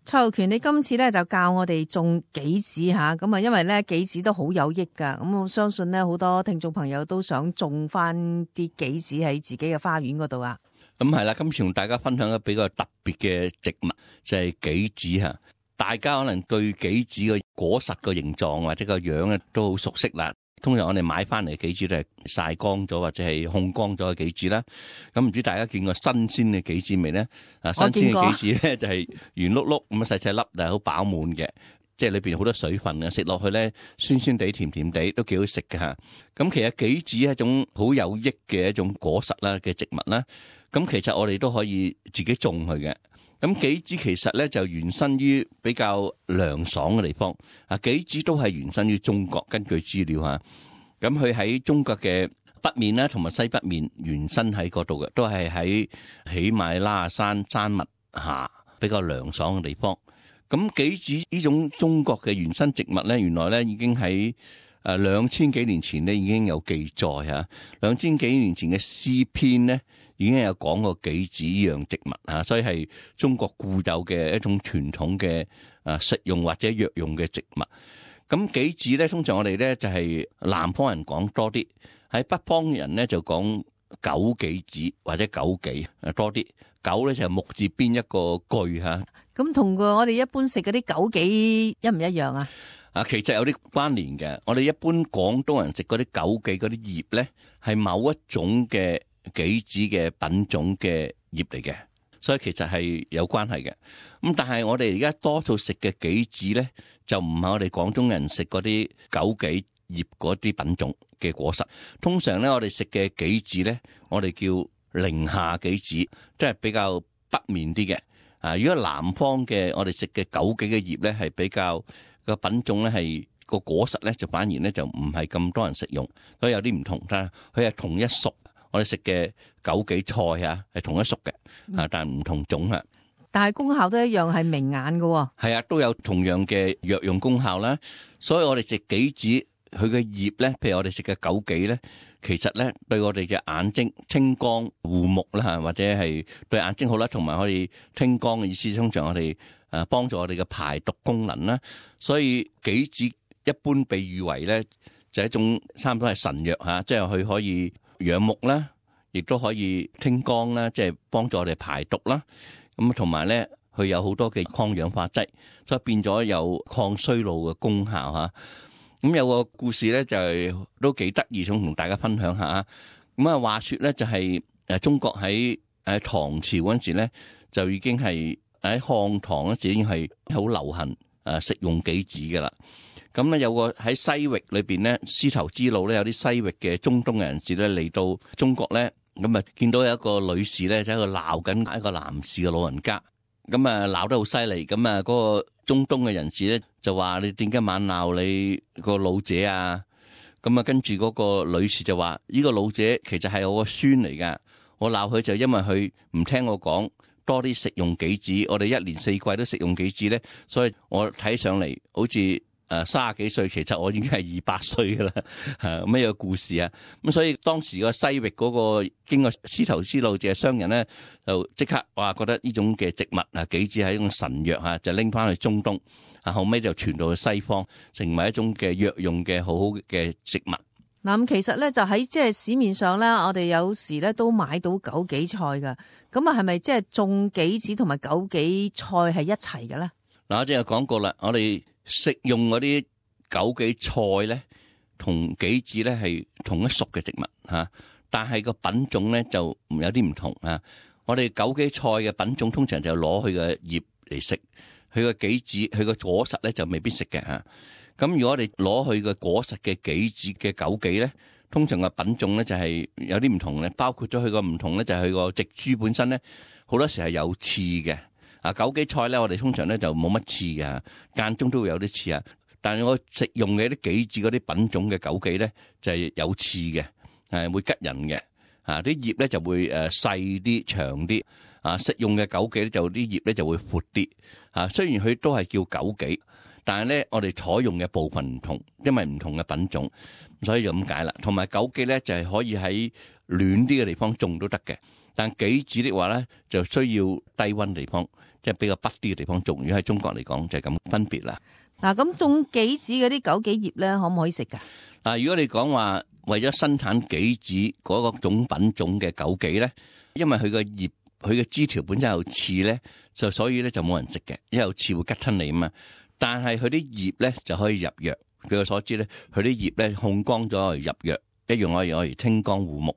蔡浩權，你今次咧就教我哋種杞子吓，咁啊，因為咧杞子都好有益噶，咁我相信咧好多聽眾朋友都想種翻啲杞子喺自己嘅花園嗰度啊。咁係啦，今次同大家分享一個比較特別嘅植物，就係杞子吓。大家可能對杞子嘅果實個形狀或者個樣咧都好熟悉啦。通常我哋買翻嚟嘅杞子都係曬乾咗或者係烘乾咗嘅杞子啦。咁唔知大家見過新鮮嘅杞子未咧？新鮮嘅杞子咧就係圓碌碌咁細細粒，但係好飽滿嘅，即係裏邊好多水分嘅，食落去咧酸酸地、甜甜地，都幾好食嘅吓。咁其實杞子係一種好有益嘅一種果實啦嘅植物啦。咁其實我哋都可以自己種佢嘅。咁杞子其實咧就原生於比較涼爽嘅地方。杞子都係原生於中國，根據資料吓。咁佢喺中國嘅北面啦，同埋西北面原生喺嗰度嘅，都係喺喜馬拉雅山山脈下比較涼爽嘅地方。咁杞子呢種中國嘅原生植物咧，原來咧已經喺2000幾年前咧已經有記載吓。2000幾年前嘅詩篇咧，已經有講過杞子呢樣植物啊，所以係中國固有嘅一種傳統嘅食用或者藥用嘅植物。咁杞子咧，通常我哋咧就係南方人講多啲，喺北方人咧就講枸杞子或者枸杞多啲。枸咧就係木字邊一個句吓。咁同我哋一般食嗰啲枸杞一唔一樣啊？其實有啲關聯嘅。我哋一般廣東人食嗰啲枸杞嗰啲葉咧，係某一種嘅杞子嘅品種嘅葉嚟嘅，所以其實係有關係嘅。咁但係我哋而家多數食嘅杞子咧，就唔係我哋廣東人食嗰啲枸杞葉嗰啲品種嘅果實。通常咧，我哋食嘅杞子咧，我哋叫寧夏杞子，即係比較北面啲嘅。如果南方嘅我哋食嘅枸杞嘅葉咧，係比較個品種咧係個果實咧，就反而咧就唔係咁多人食用，所以有啲唔同。但係佢係同一屬。我哋食嘅枸杞菜係同一屬嘅，但係唔同種啊。但係功效都一樣，係明眼嘅。係啊，都有同樣嘅藥用功效啦。所以我哋食杞子，佢嘅葉咧，譬如我哋食嘅枸杞咧，其實咧對我哋嘅眼睛清光護目啦，或者係對眼睛好啦，同埋可以清光嘅意思。通常我哋幫助我哋嘅排毒功能啦。所以杞子一般被譽為咧就係一種差唔多係神藥吓，即係佢可以養目啦，亦都可以清光啦，即係幫助我哋排毒啦。咁同埋咧，佢有好多嘅抗氧化劑，所以變咗有抗衰老嘅功效吓。咁有個故事咧，就係都幾得意，想同大家分享下。咁啊，話說咧，就係中國喺唐朝嗰陣時咧，就已經係喺漢唐嗰時已經係好流行食用杞子噶啦。咁咧有個喺西域裏邊咧，絲綢之路咧有啲西域嘅中東嘅人士咧嚟到中國咧，咁啊見到有一個女士咧就喺度鬧緊一個男士嘅老人家，咁啊鬧得好犀利，咁啊嗰個中東嘅人士咧就話：你點解猛鬧你個老者啊？咁啊跟住嗰個女士就話：呢個老者其實係我個孫嚟噶，我鬧佢就因為佢唔聽我講，多啲食用杞子，我哋一年四季都食用杞子咧，所以我睇上嚟好似30幾歲，其實我已經係200歲噶啦，咩個故事啊？咁所以當時個西域嗰個經過絲綢之路嘅商人咧，就即刻話覺得呢種嘅植物杞子係一種神藥吓，就拎翻去中東，後尾就傳到去西方，成為一種嘅藥用嘅好好嘅植物。嗱，咁其實咧就喺即係市面上咧，我哋有時咧都買到枸杞菜噶，咁啊係咪即係種杞子同埋枸杞菜係一齊嘅咧？嗱，我之前講過啦，我哋食用嗰啲枸杞菜咧，同杞子咧係同一屬嘅植物吓，但係個品種咧就有啲唔同啊。我哋枸杞菜嘅品種通常就攞佢嘅葉嚟食，佢個杞子佢個果實咧就未必食嘅吓。咁如果我哋攞佢個果實嘅杞子嘅枸杞咧，通常個品種咧就係有啲唔同咧，包括咗佢個唔同咧就係佢個植株本身咧，好多時係有刺嘅。枸杞菜咧，我哋通常咧就冇乜刺嘅，間中都會有啲刺啊。但係我食用嘅啲杞子嗰啲品種嘅枸杞咧，就係有刺嘅，會吉人嘅。啲葉咧就會細啲、長啲。食用嘅枸杞咧就啲葉咧就會闊啲。雖然佢都係叫枸杞，但係咧我哋採用嘅部分唔同，因為唔同嘅品種，所以就咁解啦。同埋枸杞咧就係可以喺暖啲嘅地方種都得嘅，但杞子的話咧就需要低溫地方。即係比較北啲嘅地方種。如果喺中國嚟講就係咁分別啦。嗱，咁種杞子嗰啲枸杞葉咧，可唔可以食噶？如果你講話為咗生產杞子嗰個種品種嘅枸杞咧，因為佢個葉佢嘅枝條本身有刺咧，所以咧就冇人食嘅，因為有刺會吉親你啊嘛。但係佢啲葉咧就可以入藥。據我所知咧，佢啲葉咧控乾咗嚟入藥，一樣可以攞嚟清肝護目。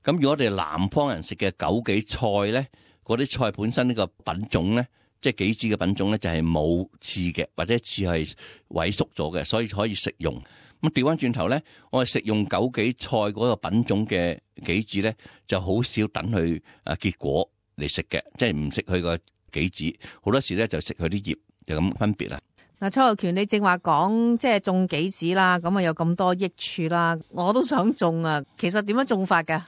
咁如果我哋南方人食嘅枸杞菜咧，嗰啲菜本身呢個品種咧，即係杞子嘅品種咧，就係冇刺嘅，或者刺係萎縮咗嘅，所以可以食用。咁調翻轉頭咧，我哋食用枸杞菜嗰個品種嘅杞子咧，就好少等佢結果嚟食嘅，即係唔食佢個杞子，好多時咧就食佢啲葉，就咁分別啦。嗱，蔡浩權，你正話講即係種杞子啦，咁啊有咁多益處啦，我都想種啊。其實點樣種法噶？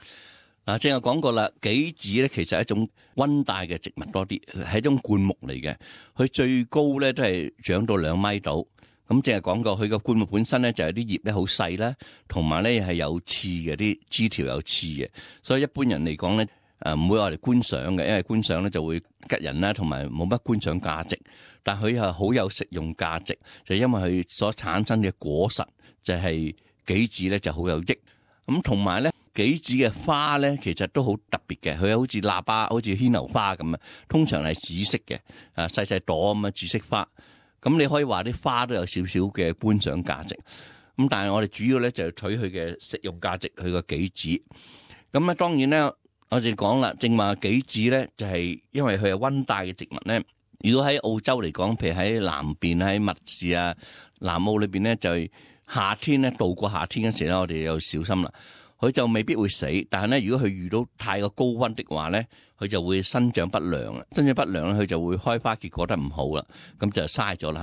正係講過啦，杞子咧其實係一種溫帶嘅植物多啲，係一種灌木嚟嘅。佢最高咧都係長到2米度。咁正係講過，佢個灌木本身咧就係啲葉咧好細啦，同埋咧係有刺嘅，啲枝條有刺嘅。所以一般人嚟講咧，唔會話嚟觀賞嘅，因為觀賞咧就會吉人啦，同埋冇乜觀賞價值。但佢係好有食用價值，就因為佢所產生嘅果實就係杞子咧就好有益。咁同埋咧，杞子嘅花咧其實都好特別嘅，佢好似喇叭，好似牽牛花咁啊，通常係紫色嘅，細細朵咁啊紫色花。咁你可以話啲花都有少少嘅觀賞價值。咁但係我哋主要咧就係取佢嘅食用價值，佢個杞子。咁啊當然咧，我哋講啦，正話杞子咧就係因為佢係溫帶嘅植物咧。如果喺澳洲嚟講，譬如喺南邊喺密士啊、南澳裏邊咧，就係夏天咧度過夏天嗰時咧，我哋要小心啦。佢就未必會死，但係咧，如果佢遇到太過高溫的話咧，佢就會生長不良啦。生長不良咧，佢就會開花結果得唔好啦，咁就嘥咗啦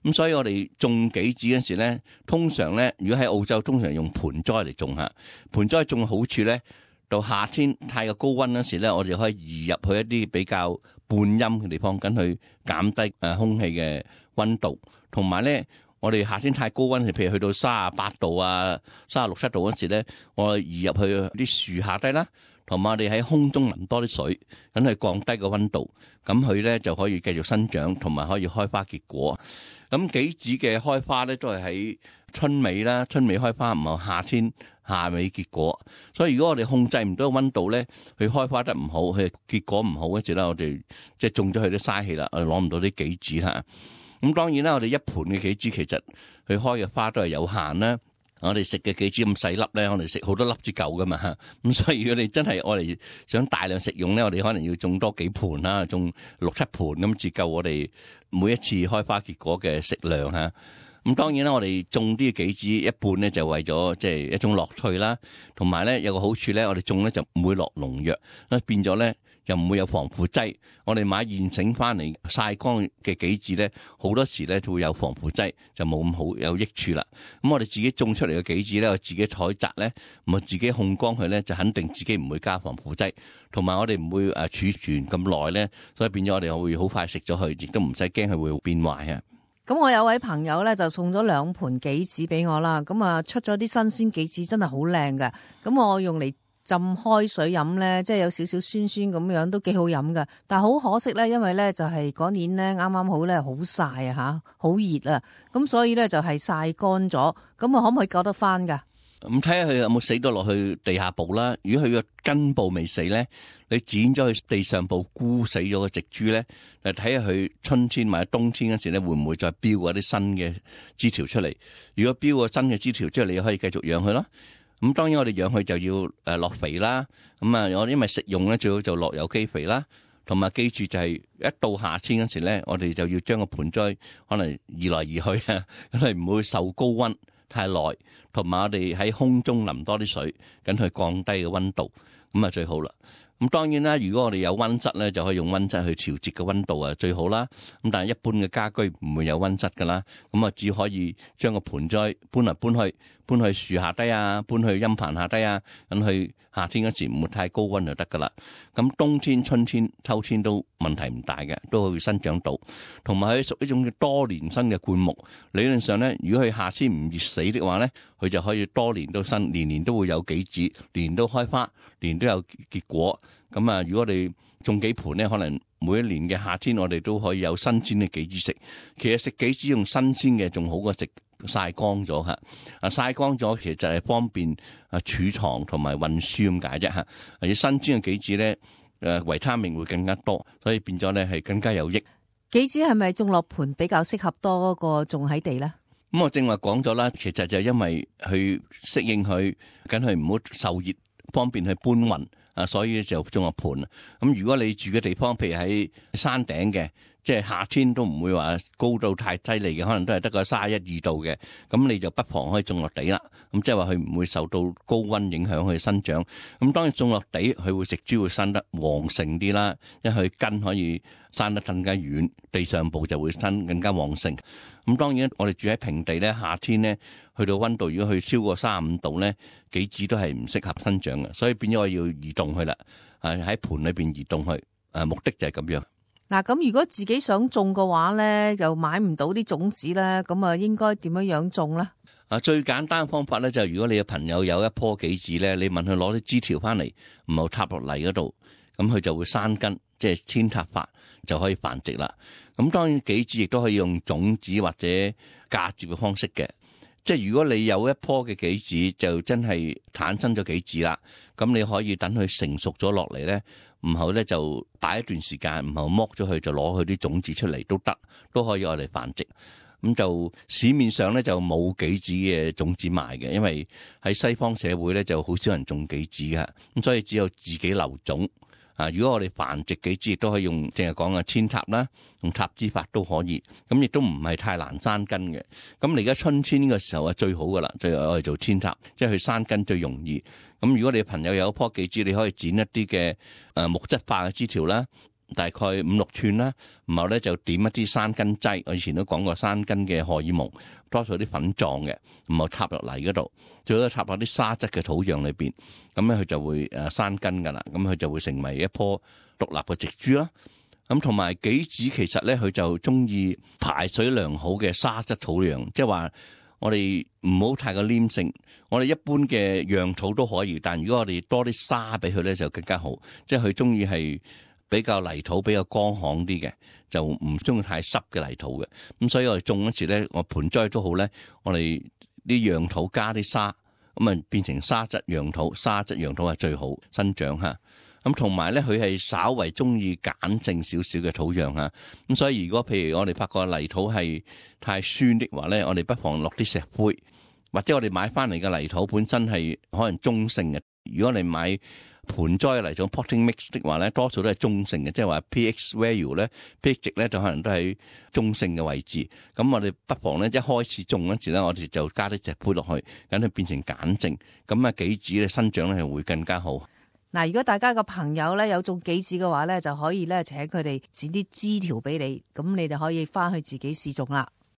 嚇。咁所以我哋種杞子嗰時咧，通常咧，如果喺澳洲，通常用盆栽嚟種嚇。盆栽種嘅好處咧，到夏天太過高溫嗰時咧，我哋可以移入去一啲比較半陰嘅地方，跟去減低空氣嘅溫度，同埋咧，我哋夏天太高溫，譬如去到38度啊、36、7度嗰時咧，我哋移入去啲樹下低啦，同埋我哋喺空中淋多啲水，等佢降低個溫度，咁佢咧就可以繼續生長，同埋可以開花結果。咁杞子嘅開花咧都係喺春尾啦，春尾開花，唔係夏天夏尾結果。所以如果我哋控制唔到溫度咧，佢開花得唔好，佢結果唔好嗰時咧，我哋即係種咗佢都嘥氣啦，我哋攞唔到啲杞子嚇。咁當然啦，我哋一盤嘅杞子其實佢開嘅花都係有限啦。我哋食嘅杞子咁細粒咧，我哋食好多粒至夠噶嘛。咁所以如果你真係我哋想大量食用咧，我哋可能要種多幾盤啦，種6、7盤咁至夠我哋每一次開花結果嘅食量嚇。咁當然啦，我哋種啲杞子一半咧就為咗即係一種樂趣啦，同埋咧有個好處咧，我哋種咧就唔會落農藥，變咗咧又唔會有防腐劑。我哋買現成翻嚟曬乾嘅杞子咧，好多時咧就會有防腐劑，就冇咁好有益處啦。咁我哋自己種出嚟嘅杞子咧，我自己採摘咧，咁啊自己控乾佢咧，就肯定自己唔會加防腐劑，同埋我哋唔會儲存咁耐咧，所以變咗我哋會好快食咗佢，亦都唔使驚佢會變壞啊。咁我有位朋友咧就送咗2盤杞子俾我啦，咁啊出咗啲新鮮杞子真係好靚㗎，咁我用嚟浸開水飲咧，即係有少少酸酸咁樣，都幾好飲㗎。但係好可惜咧，因為咧就係嗰年咧啱啱好咧好曬啊嚇，好熱啊，咁所以咧就係曬乾咗，咁啊可唔可以救得翻㗎？咁睇下佢有冇死到落去地下部啦。如果佢個根部未死咧，你剪咗去地上部枯死咗個植株咧，嚟睇下佢春天或者冬天嗰時咧，會唔會再飆嗰啲新嘅枝條出嚟？如果飆個新嘅枝條之後，你可以繼續養佢咯。咁當然我哋養佢就要落肥啦。咁啊，我因為食用咧，最好就落有機肥啦。同埋記住就係一到夏天嗰時咧，我哋就要將個盆栽可能移來移去啊，因為唔會受高溫太耐，同埋我哋喺空中淋多啲水，咁去降低個溫度，咁啊最好啦。咁當然啦，如果我哋有溫室咧，就可以用溫室去調節個溫度啊，最好啦。咁但係一般嘅家居唔會有溫室噶啦，咁啊只可以將個盆栽搬嚟搬去樹下低啊，搬去陰棚下低啊，咁去夏天嗰時唔會太高溫就得噶啦。咁冬天、春天、秋天都問題唔大嘅，都可以生長到。同埋佢屬一種多年生嘅灌木，理論上咧，如果佢夏天唔熱死的話咧，佢就可以多年都生，年年都會有杞子，年年都開花，年年都有結果。咁啊，如果我哋種幾盆咧，可能每一年嘅夏天我哋都可以有新鮮嘅杞子食。其實食杞子用新鮮嘅仲好過食曬乾咗嚇。曬乾咗其實就係方便儲藏同埋運輸咁解啫嚇。而新鮮嘅杞子咧，維他命會更加多，所以變咗咧係更加有益。杞子係咪種落盆比較適合多過種喺地咧？咁我正話講咗啦，其實就因為去適應佢，梗係唔好受熱，方便去搬運啊，所以就種落盆。咁如果你住嘅地方，譬如喺山頂嘅，即係夏天都唔會話高到太犀利嘅，可能都係得個31-32度嘅，咁你就不妨可以種落地啦。咁即係話佢唔會受到高溫影響佢生長。咁當然種落地，佢會植株會生得旺盛啲啦，因為佢根可以生得更加遠，地上部就會生更加旺盛。咁當然我哋住喺平地咧，夏天咧去到溫度如果去超過35度咧，杞子都係唔適合生長嘅，所以變咗我要移動佢啦，喺盆裏邊移動佢，目的就係咁樣。嗱，咁如果自己想種嘅話咧，又買唔到啲種子咧，咁啊應該點樣種咧？最簡單嘅方法咧就係如果你嘅朋友有一棵杞子咧，你問佢攞啲枝條翻嚟，唔好插落泥嗰度，咁佢就會生根，即係扦插法就可以繁殖啦。咁當然杞子亦都可以用種子或者嫁接嘅方式嘅，即係如果你有一棵嘅杞子就真係產生咗杞子啦，咁你可以等佢成熟咗落嚟咧，然後咧就擺一段時間，然後剝咗佢就攞佢啲種子出嚟都得，都可以我哋繁殖。咁就市面上咧就冇杞子嘅種子賣嘅，因為喺西方社會咧就好少人種杞子嘅，咁所以只有自己留種。如果我哋繁殖杞子亦都可以用，淨係講嘅扦插啦，用插枝法都可以，咁亦都唔係太難生根嘅。咁你而家春天呢個時候係最好噶啦，最我哋做扦插，即係佢生根最容易。咁如果你朋友有一棵杞子，你可以剪一啲嘅木質化嘅枝條啦，大概5-6寸啦，然後咧就點一啲生根劑，我以前都講過生根嘅荷爾蒙，多數啲粉狀嘅，然後插落泥嗰度，最好插落啲沙質嘅土壤裏邊，咁咧佢就會生根噶啦，咁佢就會成為一棵獨立嘅植株啦。咁同埋杞子其實咧佢就中意排水良好嘅沙質土壤，即係話我哋唔好太過黏性，我哋一般嘅壤土都可以，但如果我哋多啲沙俾佢咧就更加好，即係佢中意係比較泥土比較乾旱啲嘅，就唔中意太濕嘅泥土嘅。咁所以我哋種嗰時咧，我盆栽都好咧，我哋啲壤土加啲沙，咁啊變成沙質壤土，沙質壤土係最好生長嚇。咁同埋咧，佢係稍為中意鹼性少少嘅土壤嚇。咁所以如果譬如我哋發覺泥土係太酸的話咧，我哋不妨落啲石灰，或者我哋買翻嚟嘅泥土本身係可能中性嘅。如果你買盆栽嚟種 potting mix 的話咧，多數都係中性嘅，即係話 pH value 咧 pH 值咧就可能都喺中性嘅位置。咁我哋不妨咧一開始種嗰時咧，我哋就加啲石灰落去，等佢變成鹼性，咁啊杞子咧生長咧係會更加好。嗱，如果大家個朋友咧有種杞子嘅話咧，就可以咧請佢哋剪啲枝條俾你，咁你就可以翻去自己試種啦。